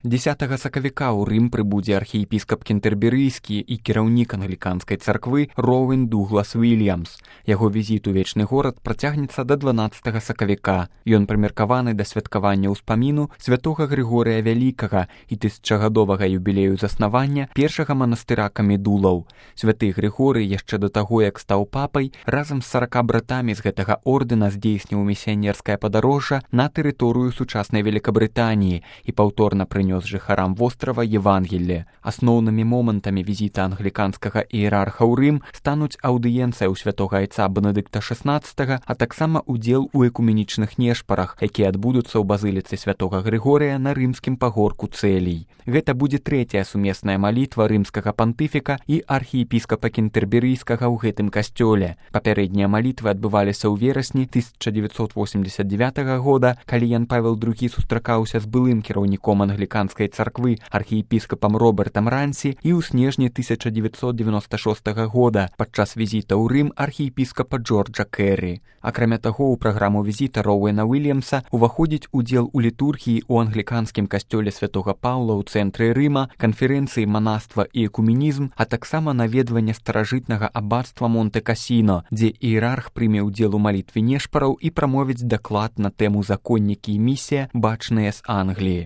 10 сакавіка ў Рым прыбудзе архіепіскап кентэрберыйскі і кіраўнік англіканскай царквы Роуэн Дуглас Вільямс. Яго візіт у вечны горад працягнецца да 12 сакавіка. Ён прымеркаваны да святкавання ўспаміну святога Грыгорыя Вялікага і тысячагадовага юбілею заснавання першага манастыра камедулаў. Святы Грыгорый яшчэ да таго, як стаў папай, разам з 40 братамі з гэтага ордэна здзейсніў місіянерскае падарожжа на тэрыторыю сучаснай Великабрытаніі і паўторна прынёс жыхарам вострава Евангелле. Асноўнымі момантамі візіта англіканскага іерарха ў Рым стануць аўдыенцыя ў святога айца Бенедыкта XVI, а таксама удзел у экуменічных нешпарах, якія адбудуцца ў базыліцы святога Грыгорыя на рымскім пагорку Цэлій. Гэта будзе трэцяя сумесная малітва рымскага пантыфіка і архіепіскапа кентэрберыйскага ў гэтым касцёле. Папярэднія малітвы адбываліся ў верасні 1989 года, калі Ян Павел II сустракаўся з былым кіраўніком англіканскай царквы архіепіскапам Робертам Рансі і ў снежні 1996 года падчас візіта ў Рым архіепіскапа Джорджа Кэррі. Акрамя таго, у праграму візіта Роуэна Вільямса уваходзіць удзел у літургіі ў англіканскім касцёле святога Паўла ў цэнтры Рыма, канферэнцыі манаства і экуменізм, а таксама наведванне старажытнага аббатства Монте-Касіно, дзе іерарх прыме ўдзел у малітве нешпараў і прамовіць даклад на тэму законнікі і місія, бачныя з Англіі.